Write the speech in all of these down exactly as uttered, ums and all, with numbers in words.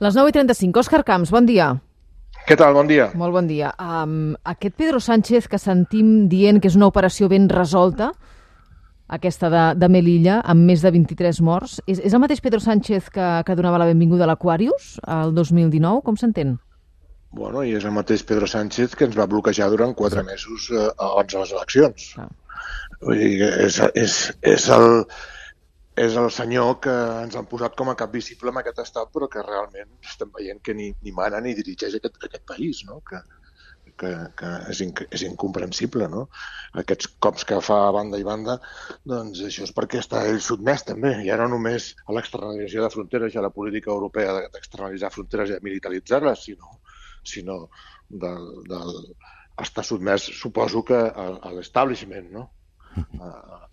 Les nou i trenta-cinc. Òscar Camps, bon dia. Què tal? Bon dia. Molt bon dia. Um, aquest Pedro Sánchez que sentim dient que és una operació ben resolta, aquesta de, de Melilla, amb més de vint-i-tres morts, és, és el mateix Pedro Sánchez que, que donava la benvinguda a l'Aquarius el dos mil dinou? Com s'entén? Bueno, i és el mateix Pedro Sánchez que ens va bloquejar durant quatre mesos eh, abans de les eleccions. Ah. Vull dir que és, és, és, el, és el senyor que ens han posat com a cap visible en aquest estat, però que realment estem veient que ni, ni mana ni dirigeix aquest, aquest país, no? que, que, que és, inc és incomprensible. No? Aquests cops que fa a banda i banda, doncs això és perquè està ell sotmès també, ja no només a l'externalització de fronteres i a la política europea d'externalitzar fronteres i militaritzar-les, sinó sinó del, del, està sotmès, suposo que a, a l'establishment, no?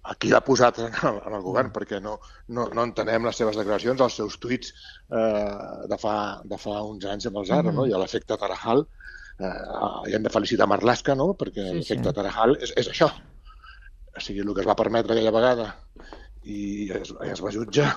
A qui l'ha posat en el, en el govern, perquè no, no, no entenem les seves declaracions, els seus tuits eh, de, fa, de fa uns anys amb el Zara, no? I a l'efecte Tarajal, eh, i hem de felicitar Marlaska, no? Perquè sí, l'efecte sí. Tarajal és, és això. O sigui, el que es va permetre aquella vegada i es, es va jutjar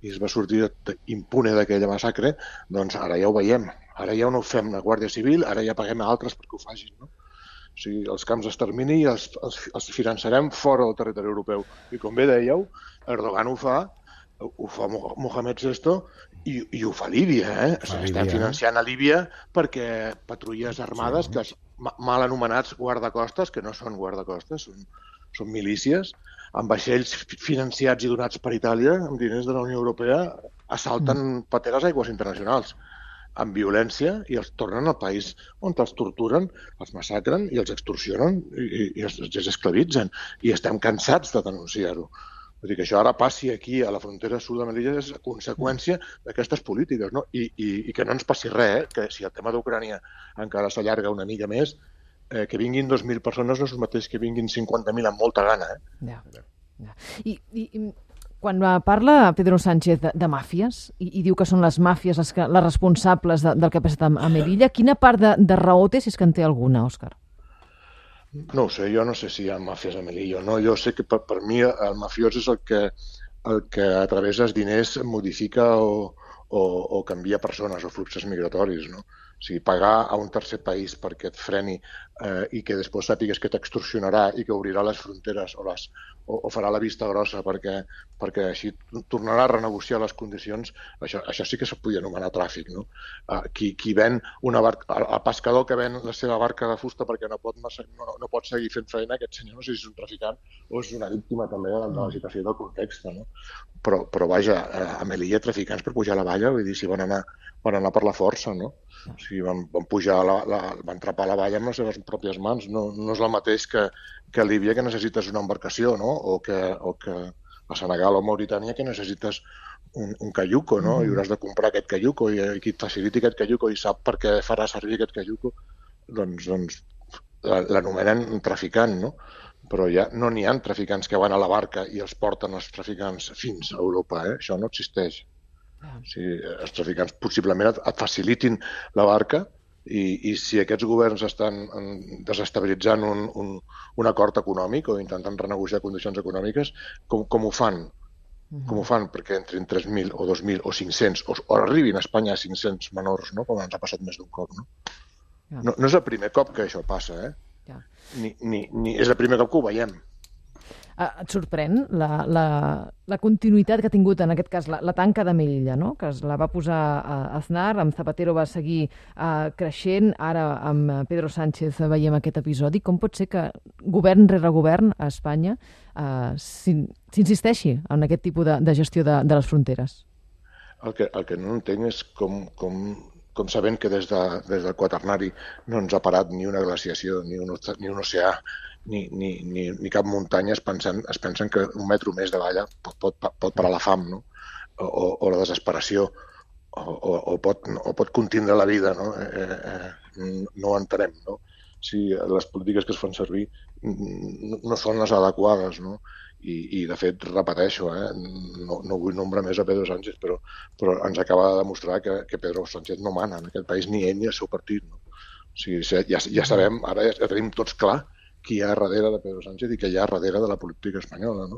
i es va sortir impune d'aquella massacre, doncs ara ja ho veiem. Ara ja no ho fem la Guàrdia Civil, ara ja paguem a altres perquè ho facin. No? O sigui, els camps d'extermini els, els, els finançarem fora del territori europeu. I com bé dèieu, Erdogan ho fa, ho fa Mohamed sexto i, i ho fa Líbia. Eh? O sigui, estem financiant a Líbia perquè patrulles armades, que es, mal anomenats guardacostes, que no són guardacostes, són, són milícies, amb vaixells financiats i donats per Itàlia, amb diners de la Unió Europea, assalten mm. pateres aigües internacionals amb violència i els tornen al país on els torturen, els massacren i els extorsionen i, i els, els esclavitzen. I estem cansats de denunciar-ho. Vull dir que això ara passi aquí a la frontera sud de Melilla és conseqüència d'aquestes polítiques, no? I, i, i que no ens passi res, eh? Que si el tema d'Ucrània encara s'allarga una mica més, eh, que vinguin dos mil persones no és el mateix que vinguin cinquanta mil amb molta gana. Eh? Ja, ja. I, i, i quan parla Pedro Sánchez de, de màfies i, i diu que són les màfies les, que, les responsables de, del que ha passat a, a Melilla, quina part de, de raó té, si és que en té alguna, Òscar? No ho sé, jo no sé si hi ha màfies a Melilla o no. Jo sé que per, per mi el mafiós és el que, el que a través dels diners modifica o, o, o canvia persones o fluxos migratoris, no? O sigui, pagar a un tercer país perquè et freni eh, i que després sàpigues que t'extorsionarà i que obrirà les fronteres o, les, o, o farà la vista grossa perquè, perquè així tornarà a renegociar les condicions, això, això sí que se podria anomenar tràfic. No? Uh, qui, qui ven una barca, el, el pescador que ven la seva barca de fusta perquè no pot, no, no pot seguir fent feina, aquest senyor no sé si és un traficant o és una víctima també de, de la situació del context. No? Però, però vaja, a Melilla traficants per pujar a la valla, vull dir, si van anar, van anar per la força, no? O sigui, van, van pujar, la, la, van trapar la valla amb les seves pròpies mans. No, no és el mateix que, que a Líbia, que necessites una embarcació, no? O que, o que a Senegal o Mauritània, que necessites un, un caiuco, no? Mm. I hauràs de comprar aquest caiuco i, i qui et faciliti aquest caiuco i sap per què farà servir aquest caiuco, doncs, doncs l'anomenen traficant, no? Però ja no n'hi ha traficants que van a la barca i els porten els traficants fins a Europa, eh? Això no existeix. O sigui, els traficants possiblement et, et facilitin la barca i, i si aquests governs estan desestabilitzant un, un, un acord econòmic o intentant renegociar condicions econòmiques, com, com ho fan? Uh-huh. Com ho fan? Perquè entrin tres mil o dos mil o cinc-cents o, o arribin a Espanya a cinc-cents menors, no? Com ens ha passat més d'un cop. No? Yeah. No, no és el primer cop que això passa, eh? Yeah. Ni, ni, ni és el primer cop que ho veiem. Et sorprèn la, la, la continuïtat que ha tingut, en aquest cas, la, la tanca de Melilla, no? Que es la va posar a Aznar, amb Zapatero va seguir uh, creixent, ara amb Pedro Sánchez veiem aquest episodi. Com pot ser que govern rere govern a Espanya uh, s'insisteixi en aquest tipus de, de gestió de, de les fronteres? El que, el que no entenc és com, com, com sabent que des, de, des del quaternari no ens ha parat ni una glaciació, ni un, ni un oceà, Ni, ni, ni, ni cap muntanya es pensen, es pensen que un metro més de valla pot, pot, pot parar la fam, no? o, o la desesperació o, o, o, pot, o pot contindre la vida. No, eh, eh, no ho entenem. No? Si les polítiques que es fan servir no, no són les adequades. No? I, i de fet, repeteixo, eh, no, no vull nombrar més a Pedro Sánchez, però, però ens acaba de demostrar que, que Pedro Sánchez no mana en aquest país, ni ell ni el seu partit. No? O sigui, ja, ja sabem, ara ja tenim tots clar qui hi ha darrere de Pedro Sánchez i què hi ha darrere de la política espanyola, no?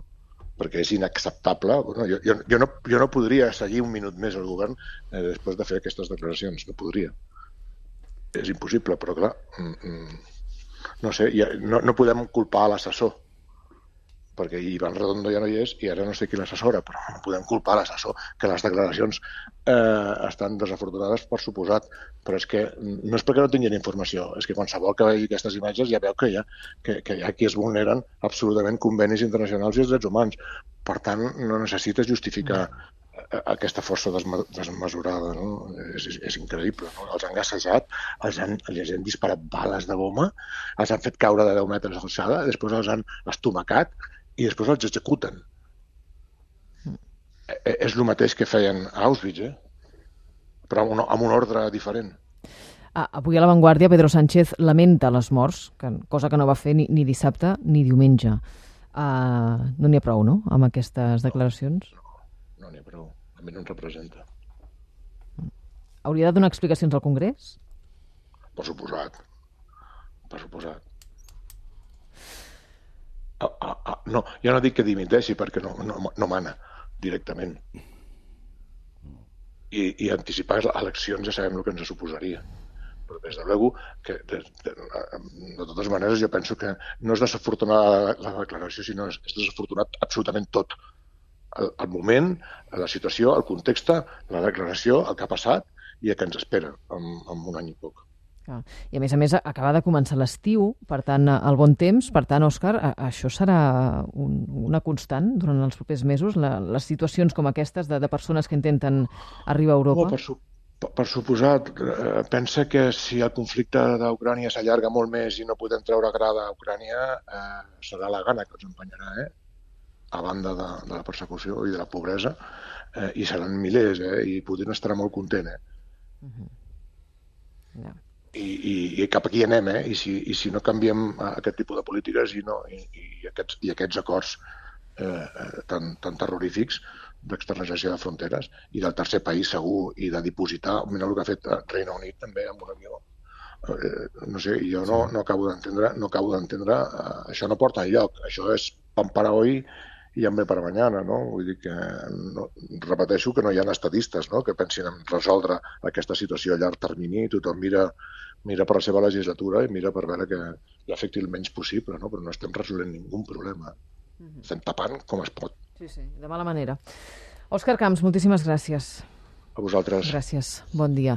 perquè és inacceptable. Bueno, jo, jo, jo, no, jo no podria seguir un minut més al govern eh, després de fer aquestes declaracions, no podria. És impossible, però clar, no sé, ja, no, no podem culpar l'assessor, perquè Ivan Redondo ja no hi és i ara no sé qui l'assessora, però no podem culpar l'assessor, que les declaracions eh, estan desafortunades per suposat, però és que no és perquè no tinguin informació, és que qualsevol que vegi aquestes imatges ja veu que hi ha, que, que hi ha qui es vulneren absolutament convenis internacionals i els drets humans. Per tant, no necessites justificar aquesta força desmesurada, no? És, és increïble, no? Els han gassejat, els han, els han disparat bales de goma, els han fet caure de deu metres d'alçada, després els han estomacat i després els executen. Mm. És el mateix que feien a Auschwitz, eh? Però amb un, amb un ordre diferent. Ah, avui a La Vanguardia Pedro Sánchez lamenta les morts, que, cosa que no va fer ni, ni dissabte ni diumenge. Uh, no n'hi ha prou, no?, amb aquestes declaracions? No, no, no n'hi ha prou. A mi no em representa. Hauria de donar explicacions al Congrés? Per suposat. Per suposat. Ah, ah, ah, no, jo no dic que dimiteixi perquè no, no, no mana directament. I, i anticipar eleccions ja sabem el que ens suposaria. Però des de luego, que de, de, de totes maneres jo penso que no és desafortunada la, la declaració, sinó és, és desafortunat absolutament tot. El, el moment, la situació, el context, la declaració, el que ha passat i el que ens espera en, en un any i poc. I a més a més acaba de començar l'estiu, per tant el bon temps, per tant, Òscar, això serà un, una constant durant els propers mesos, la, les situacions com aquestes de, de persones que intenten arribar a Europa? Oh, per, su, per, per suposat, eh, pensa que si el conflicte d'Ucrània s'allarga molt més i no podem treure grada a Ucrània, eh, serà la gana que els empenyarà, eh? A banda de, de la persecució i de la pobresa, eh, i seran milers, eh? I Putin estarà molt content, eh? Uh-huh. Yeah. I, i, i cap aquí anem, eh? I si, i si no canviem aquest tipus de polítiques i, no, i, i, aquests, i aquests acords eh, tan, tan terrorífics d'externalització de fronteres i del tercer país segur i de dipositar, mira el que ha fet Regne Unit també amb un avió. Eh, no sé, jo no, no acabo d'entendre, no acabo d'entendre, eh, això no porta enlloc, això és pan para hoy i hambre para mañana, no? Vull dir que, no, repeteixo que no hi ha estadistes, no?, que pensin en resoldre aquesta situació a llarg termini, tothom mira, mira per la seva legislatura i mira per veure que l'afecti el menys possible, no? Però no estem resolent ningú problema. Uh-huh. Estem tapant com es pot. Sí, sí, de mala manera. Òscar Camps, moltíssimes gràcies. A vosaltres. Gràcies, bon dia.